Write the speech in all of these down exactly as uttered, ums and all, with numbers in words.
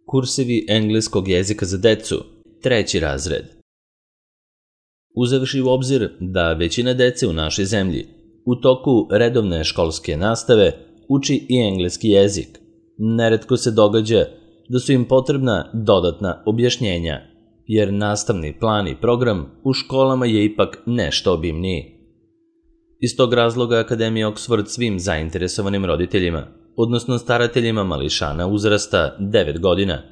Kursevi engleskog jezika za decu, treći razred. Uzevši u obzir da većina dece u našoj zemlji u toku redovne školske nastave uči i engleski jezik, neretko se događa da su im potrebna dodatna objašnjenja, jer nastavni plan i program u školama je ipak nešto obimniji. Iz tog razloga Akademija Oxford svim zainteresovanim roditeljima, odnosno starateljima mališana uzrasta devet godina,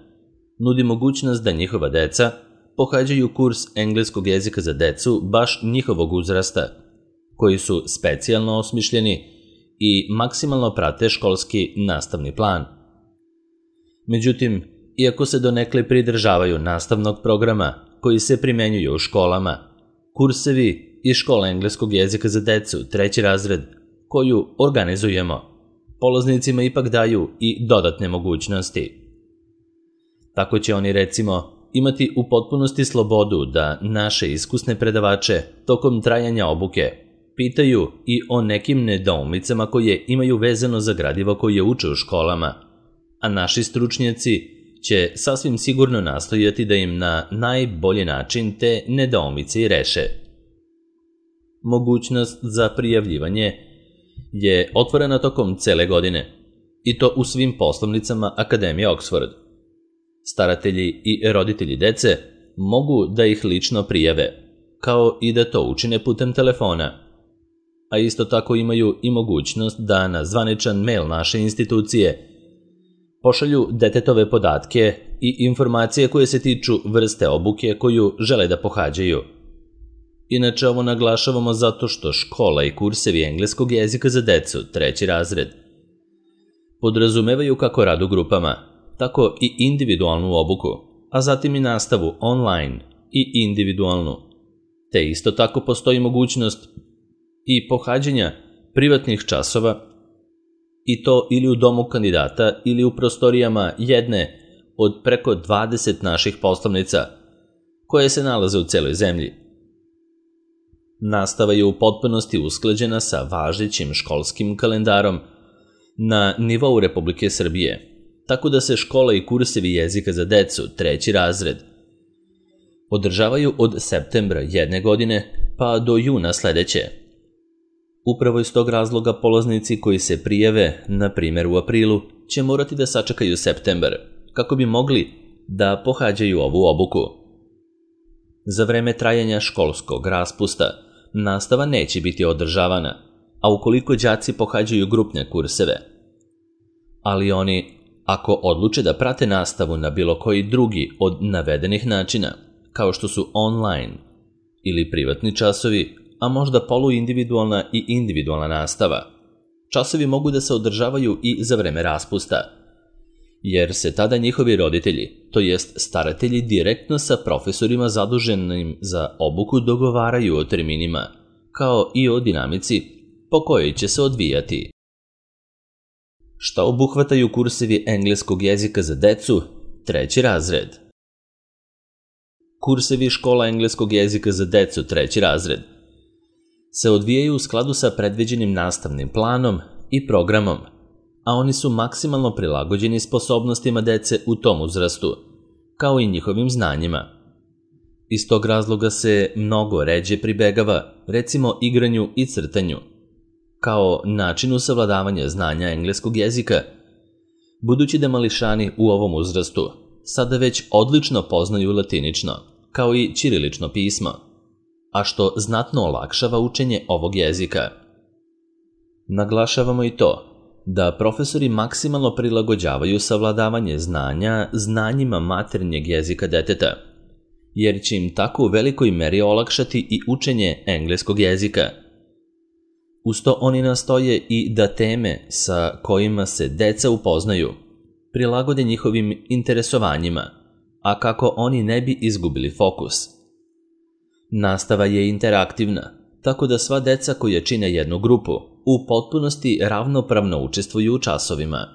nudi mogućnost da njihova deca pohađaju kurs engleskog jezika za decu baš njihovog uzrasta, koji su specijalno osmišljeni i maksimalno prate školski nastavni plan. Međutim, iako se donekle pridržavaju nastavnog programa koji se primenjuje u školama, kursevi i škola engleskog jezika za decu, treći razred, koju organizujemo, polaznicima ipak daju i dodatne mogućnosti. Tako će oni, recimo, imati u potpunosti slobodu da naše iskusne predavače tokom trajanja obuke pitaju i o nekim nedoumicama koje imaju vezano za gradivo koje uče u školama, a naši stručnjaci će sasvim sigurno nastojati da im na najbolji način te nedoumice i reše. Mogućnost za prijavljivanje je otvorena tokom cele godine, i to u svim poslovnicama Akademije Oxford. Staratelji i roditelji dece mogu da ih lično prijave, kao i da to učine putem telefona, a isto tako imaju i mogućnost da na zvaničan mail naše institucije pošalju detetove podatke i informacije koje se tiču vrste obuke koju žele da pohađaju. Inače, ovo naglašavamo zato što škola i kursevi engleskog jezika za decu, treći razred, podrazumevaju kako rad u grupama, tako i individualnu obuku, a zatim i nastavu online i individualnu. Te isto tako postoji mogućnost i pohađanja privatnih časova, i to ili u domu kandidata ili u prostorijama jedne od preko dvadeset naših poslovnica koje se nalaze u celoj zemlji. Nastava je u potpunosti usklađena sa važećim školskim kalendarom na nivou Republike Srbije, tako da se škola i kursevi jezika za decu, treći razred, održavaju od septembra jedne godine pa do juna sledeće. Upravo iz tog razloga polaznici koji se prijave, na primjer u aprilu, će morati da sačekaju septembar, kako bi mogli da pohađaju ovu obuku. Za vreme trajanja školskog raspusta nastava neće biti održavana, a ukoliko đaci pohađaju grupne kurseve. Ali oni, ako odluče da prate nastavu na bilo koji drugi od navedenih načina, kao što su online ili privatni časovi, a možda poluindividualna i individualna nastava, časovi mogu da se održavaju i za vreme raspusta, jer se tada njihovi roditelji, to jest staratelji, direktno sa profesorima zaduženim za obuku dogovaraju o terminima, kao i o dinamici po kojoj će se odvijati. Šta obuhvataju kursevi engleskog jezika za decu, treći razred? Kursevi škola engleskog jezika za decu, treći razred, se odvijaju u skladu sa predviđenim nastavnim planom i programom, a oni su maksimalno prilagođeni sposobnostima dece u tom uzrastu, kao i njihovim znanjima. Iz tog razloga se mnogo ređe pribegava, recimo, igranju i crtanju, kao načinu savladavanja znanja engleskog jezika, budući da mališani u ovom uzrastu sada već odlično poznaju latinično, kao i ćirilično pismo, a što znatno olakšava učenje ovog jezika. Naglašavamo i to da profesori maksimalno prilagođavaju savladavanje znanja znanjima maternjeg jezika deteta, jer će im tako u velikoj meri olakšati i učenje engleskog jezika. Uz to oni nastoje i da teme sa kojima se deca upoznaju prilagode njihovim interesovanjima, a kako oni ne bi izgubili fokus. Nastava je interaktivna, tako da sva deca koja čine jednu grupu u potpunosti ravnopravno učestvuju u časovima.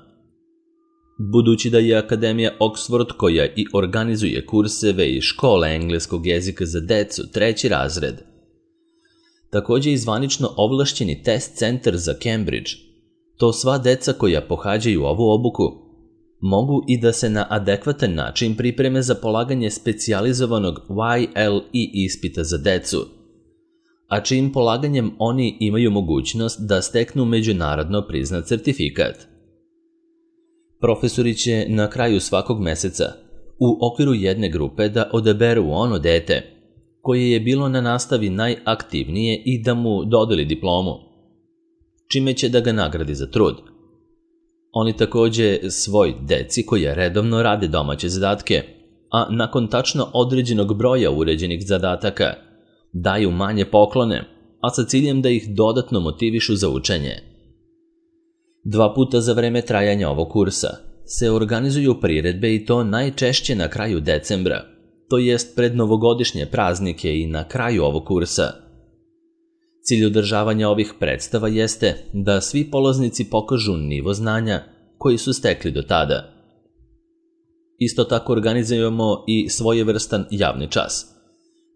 Budući da je Akademija Oxford koja i organizuje kurseve i škole engleskog jezika za decu, treći razred, takođe i zvanično ovlašćeni test centar za Cambridge, to sva deca koja pohađaju ovu obuku mogu i da se na adekvatan način pripreme za polaganje specijalizovanog Y L E ispita za decu, a čijim polaganjem oni imaju mogućnost da steknu međunarodno priznat sertifikat. Profesori će na kraju svakog meseca u okviru jedne grupe da odaberu ono dete koje je bilo na nastavi najaktivnije i da mu dodeli diplomu, čime će da ga nagradi za trud. Oni takođe svoj deci koja redovno rade domaće zadatke, a nakon tačno određenog broja uređenih zadataka, daju manje poklone, a sa ciljem da ih dodatno motivišu za učenje. Dva puta za vreme trajanja ovog kursa se organizuju priredbe i to najčešće na kraju decembra, to jest pred novogodišnje praznike i na kraju ovog kursa. Cilj održavanja ovih predstava jeste da svi polaznici pokažu nivo znanja koji su stekli do tada. Isto tako organizujemo i svojevrstan javni čas,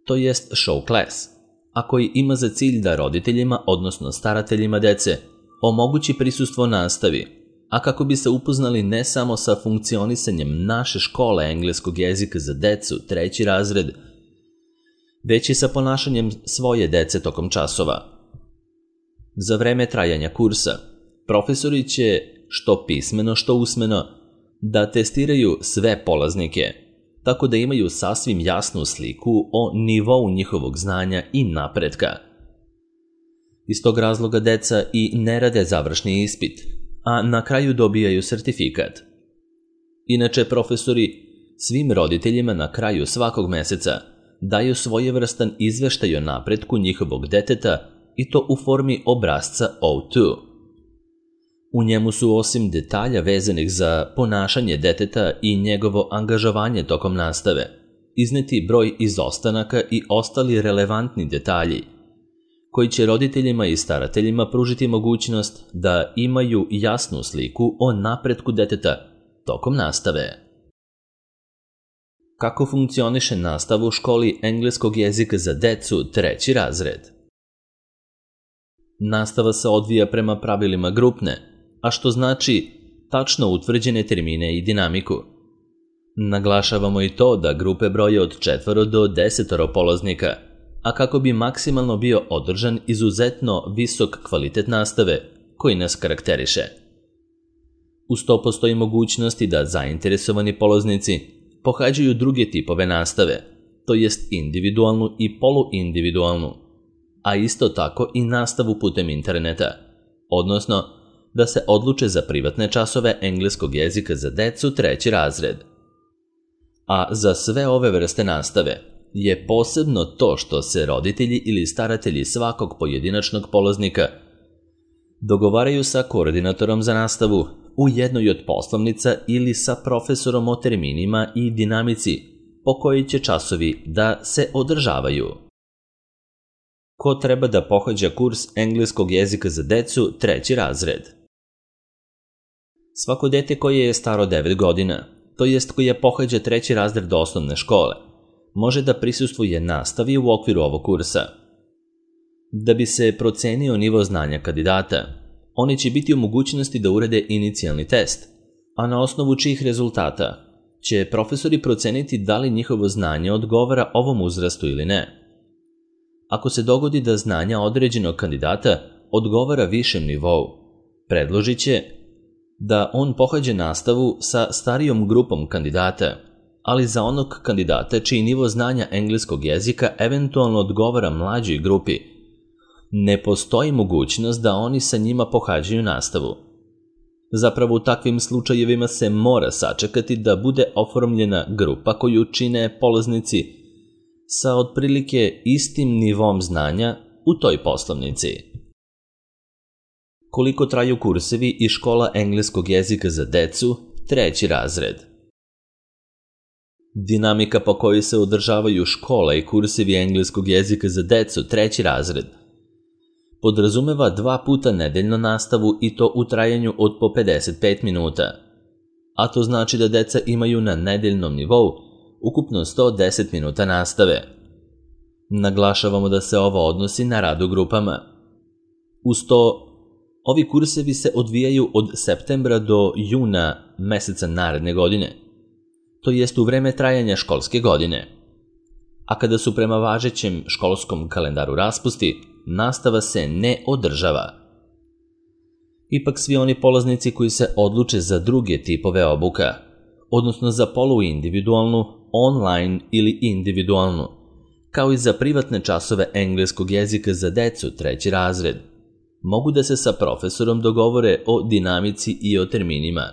to jest show class, a koji ima za cilj da roditeljima, odnosno starateljima dece, omogući prisustvo nastavi, a kako bi se upoznali ne samo sa funkcionisanjem naše škole engleskog jezika za decu treći razred, već i sa ponašanjem svoje dece tokom časova. Za vreme trajanja kursa, profesori će, što pismeno, što usmeno, da testiraju sve polaznike, tako da imaju sasvim jasnu sliku o nivou njihovog znanja i napretka. Iz tog razloga deca i ne rade završni ispit, a na kraju dobijaju sertifikat. Inače, profesori svim roditeljima na kraju svakog meseca daju svojevrstan izveštaj o napretku njihovog deteta i to u formi obrasca O dva. U njemu su osim detalja vezanih za ponašanje deteta i njegovo angažovanje tokom nastave, izneti broj izostanaka i ostali relevantni detalji, koji će roditeljima i starateljima pružiti mogućnost da imaju jasnu sliku o napretku deteta tokom nastave. Kako funkcioniše nastava u školi engleskog jezika za decu treći razred? Nastava se odvija prema pravilima grupne, a što znači tačno utvrđene termine i dinamiku. Naglašavamo i to da grupe broje od četvoro do desetoro polaznika, a kako bi maksimalno bio održan izuzetno visok kvalitet nastave koji nas karakteriše. Uz to postoji mogućnosti da zainteresovani polaznici pohađaju druge tipove nastave, to jest individualnu i poluindividualnu, a isto tako i nastavu putem interneta, odnosno da se odluče za privatne časove engleskog jezika za decu treći razred. A za sve ove vrste nastave je posebno to što se roditelji ili staratelji svakog pojedinačnog polaznika dogovaraju sa koordinatorom za nastavu u jednoj od poslovnica ili sa profesorom o terminima i dinamici po kojoj će časovi da se održavaju. Ko treba da pohađa kurs engleskog jezika za decu treći razred? Svako dete koje je staro devet godina, to jest koje pohađa treći razred osnovne škole, može da prisustvuje nastavi u okviru ovog kursa. Da bi se procenio nivo znanja kandidata, oni će biti u mogućnosti da urade inicijalni test, a na osnovu čijih rezultata će profesori proceniti da li njihovo znanje odgovara ovom uzrastu ili ne. Ako se dogodi da znanja određenog kandidata odgovara višem nivou, predložit će da on pohađa nastavu sa starijom grupom kandidata, ali za onog kandidata čiji nivo znanja engleskog jezika eventualno odgovara mlađoj grupi, ne postoji mogućnost da oni sa njima pohađaju nastavu. Zapravo u takvim slučajevima se mora sačekati da bude oformljena grupa koju čine polaznici sa otprilike istim nivom znanja u toj poslovnici. Koliko traju kursevi i škola engleskog jezika za decu treći razred? Dinamika po kojoj se održavaju škola i kursevi engleskog jezika za decu treći razred podrazumeva dva puta nedeljno nastavu i to u trajanju od po pedeset pet minuta, a to znači da deca imaju na nedeljnom nivou ukupno sto deset minuta nastave. Naglašavamo da se ovo odnosi na rad u grupama. Uz to, Ovi kursevi se odvijaju od septembra do juna meseca naredne godine, to jest u vreme trajanja školske godine. A kada su prema važećem školskom kalendaru raspusti, nastava se ne održava. Ipak svi oni polaznici koji se odluče za druge tipove obuka, odnosno za poluindividualnu, online ili individualnu, kao i za privatne časove engleskog jezika za decu treći razred, mogu da se sa profesorom dogovore o dinamici i o terminima.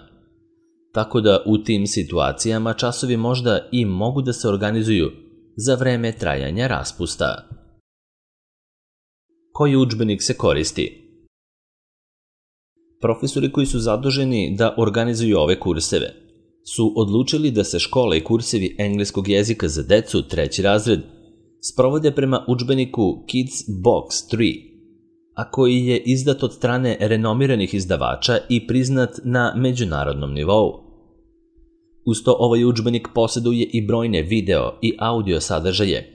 Tako da u tim situacijama časovi možda i mogu da se organizuju za vreme trajanja raspusta. Koji udžbenik se koristi? Profesori koji su zaduženi da organizuju ove kurseve su odlučili da se škola i kursevi engleskog jezika za decu treći razred sprovode prema udžbeniku Kids Box tri, a koji je izdat od strane renomiranih izdavača i priznat na međunarodnom nivou. Uz to ovaj udžbenik posjeduje i brojne video i audio sadržaje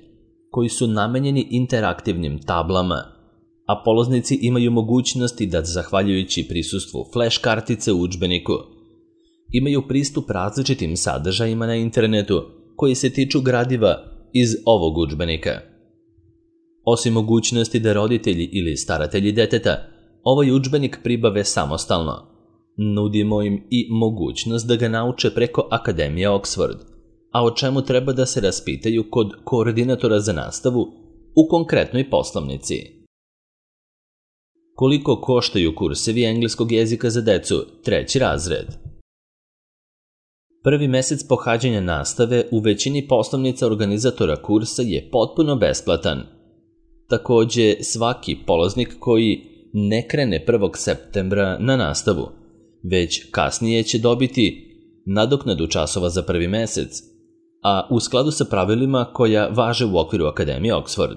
koji su namenjeni interaktivnim tablama, a polaznici imaju mogućnosti da, zahvaljujući prisustvu flash kartice u udžbeniku, imaju pristup različitim sadržajima na internetu koji se tiču gradiva iz ovog udžbenika. Osim mogućnosti da roditelji ili staratelji deteta ovaj udžbenik pribave samostalno, nudimo im i mogućnost da ga nauče preko Akademije Oxford, a o čemu treba da se raspitaju kod koordinatora za nastavu u konkretnoj poslovnici. Koliko koštaju kursevi engleskog jezika za decu treći razred? Prvi mesec pohađanja nastave u većini poslovnica organizatora kursa je potpuno besplatan. Takođe, svaki polaznik koji ne krene prvog septembra na nastavu, već kasnije će dobiti nadoknadu časova za prvi mesec, a u skladu sa pravilima koja važe u okviru Akademije Oxford.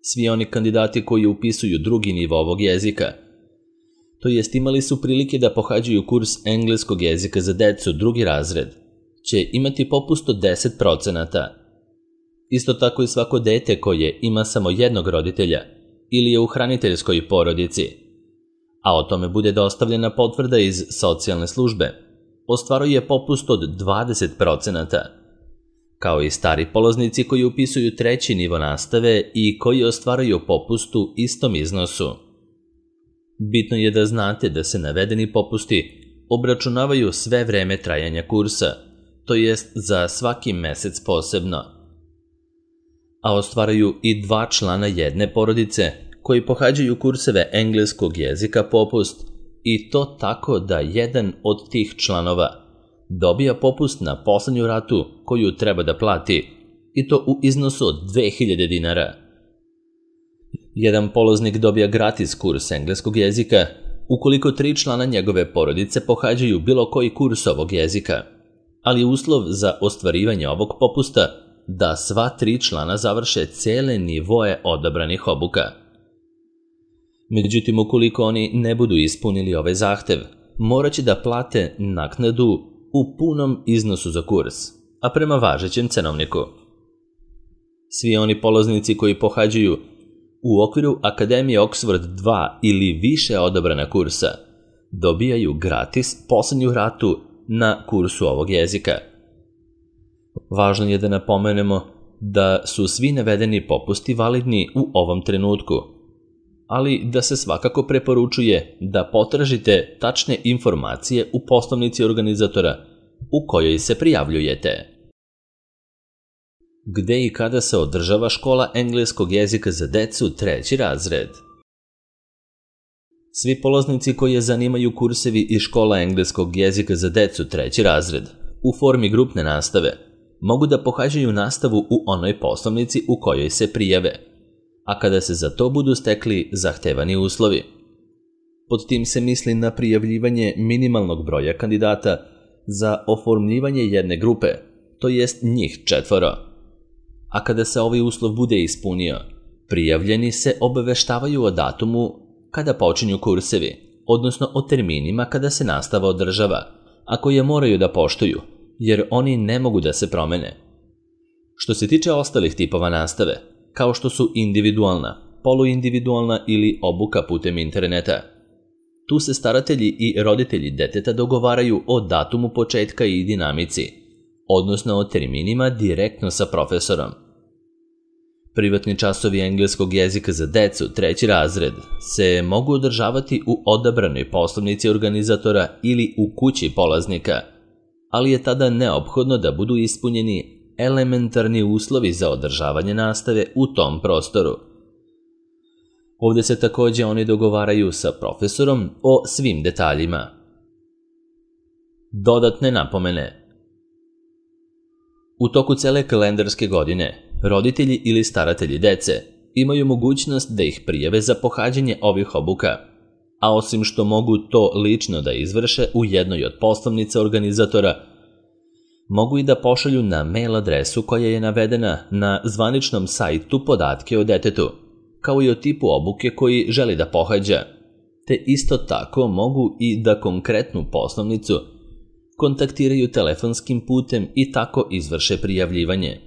Svi oni kandidati koji upisuju drugi nivo ovog jezika, to jest imali su prilike da pohađaju kurs engleskog jezika za decu drugi razred, će imati popust od deset procenata. Isto tako i svako dete koje ima samo jednog roditelja ili je u hraniteljskoj porodici, a o tome bude dostavljena potvrda iz socijalne službe, ostvaruje popust od dvadeset procenata, kao i stari polaznici koji upisuju treći nivo nastave i koji ostvaraju popust u istom iznosu. Bitno je da znate da se navedeni popusti obračunavaju sve vreme trajanja kursa, to jest za svaki mesec posebno, a ostvaraju i dva člana jedne porodice koji pohađaju kurseve engleskog jezika popust, i to tako da jedan od tih članova dobija popust na poslednju ratu koju treba da plati, i to u iznosu od dve hiljade dinara. Jedan polaznik dobija gratis kurs engleskog jezika ukoliko tri člana njegove porodice pohađaju bilo koji kurs ovog jezika, ali uslov za ostvarivanje ovog popusta da sva tri člana završe cele nivoe odabranih obuka. Međutim, ukoliko oni ne budu ispunili ovaj zahtev, morat će da plate naknadu u punom iznosu za kurs, a prema važećem cenovniku. Svi oni polaznici koji pohađaju u okviru Akademije Oxford dva ili više odabrana kursa dobijaju gratis poslednju ratu na kursu ovog jezika. Važno je da napomenemo da su svi navedeni popusti validni u ovom trenutku, ali da se svakako preporučuje da potražite tačne informacije u poslovnici organizatora u kojoj se prijavljujete. Gde i kada se održava škola engleskog jezika za decu treći razred? Svi polaznici koji je zanimaju kursevi iz škola engleskog jezika za decu treći razred u formi grupne nastave mogu da pohađaju nastavu u onoj poslovnici u kojoj se prijave, a kada se za to budu stekli zahtevani uslovi. Pod tim se misli na prijavljivanje minimalnog broja kandidata za oformljivanje jedne grupe, to jest njih četvoro. A kada se ovaj uslov bude ispunio, prijavljeni se obaveštavaju o datumu kada počinju kursevi, odnosno o terminima kada se nastava održava, a koje moraju da poštuju, jer oni ne mogu da se promene. Što se tiče ostalih tipova nastave, kao što su individualna, poluindividualna ili obuka putem interneta, Tu se staratelji i roditelji deteta dogovaraju o datumu početka i dinamici, odnosno o terminima direktno sa profesorom. Privatni časovi engleskog jezika za decu, treći razred, se mogu održavati u odabranoj poslovnici organizatora ili u kući polaznika, ali je tada neophodno da budu ispunjeni elementarni uslovi za održavanje nastave u tom prostoru. Ovde se takođe oni dogovaraju sa profesorom o svim detaljima. Dodatne napomene. U toku cele kalendarske godine, roditelji ili staratelji dece imaju mogućnost da ih prijave za pohađanje ovih obuka, a osim što mogu to lično da izvrše u jednoj od poslovnica organizatora, mogu i da pošalju na mail adresu koja je navedena na zvaničnom sajtu podatke o detetu, kao i o tipu obuke koji želi da pohađa, te isto tako mogu i da konkretnu poslovnicu kontaktiraju telefonskim putem i tako izvrše prijavljivanje.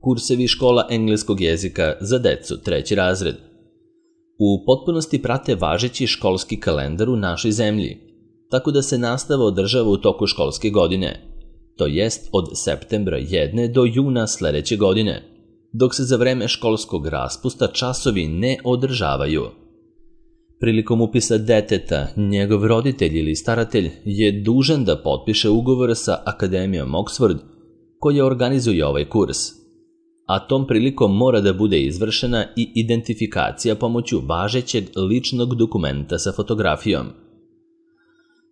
Kursevi škola engleskog jezika za decu, treći razred, u potpunosti prate važeći školski kalendar u našoj zemlji, tako da se nastava održava u toku školske godine, to jest od septembra jedne do juna sledeće godine, dok se za vreme školskog raspusta časovi ne održavaju. Prilikom upisa deteta, njegov roditelj ili staratelj je dužan da potpiše ugovor sa Akademijom Oxford koja organizuje ovaj kurs, a tom prilikom mora da bude izvršena i identifikacija pomoću važećeg ličnog dokumenta sa fotografijom.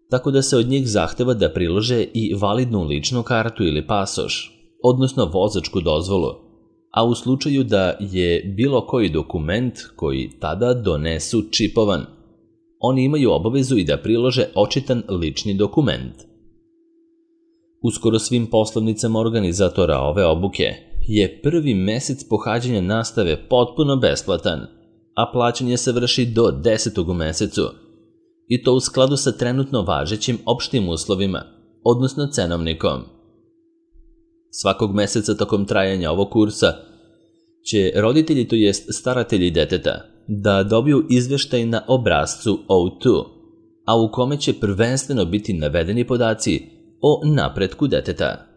Tako da se od njih zahteva da prilože i validnu ličnu kartu ili pasoš, odnosno vozačku dozvolu, a u slučaju da je bilo koji dokument koji tada donesu čipovan, oni imaju obavezu i da prilože očitan lični dokument. U skoro svim poslovnicama organizatora ove obuke je prvi mesec pohađanja nastave potpuno besplatan, a plaćanje se vrši do desetog u mesecu, i to u skladu sa trenutno važećim opštim uslovima, odnosno cenovnikom. Svakog meseca tokom trajanja ovog kursa će roditelji, to jest staratelji deteta, da dobiju izveštaj na obrascu O dva, a u kome će prvenstveno biti navedeni podaci o napretku deteta.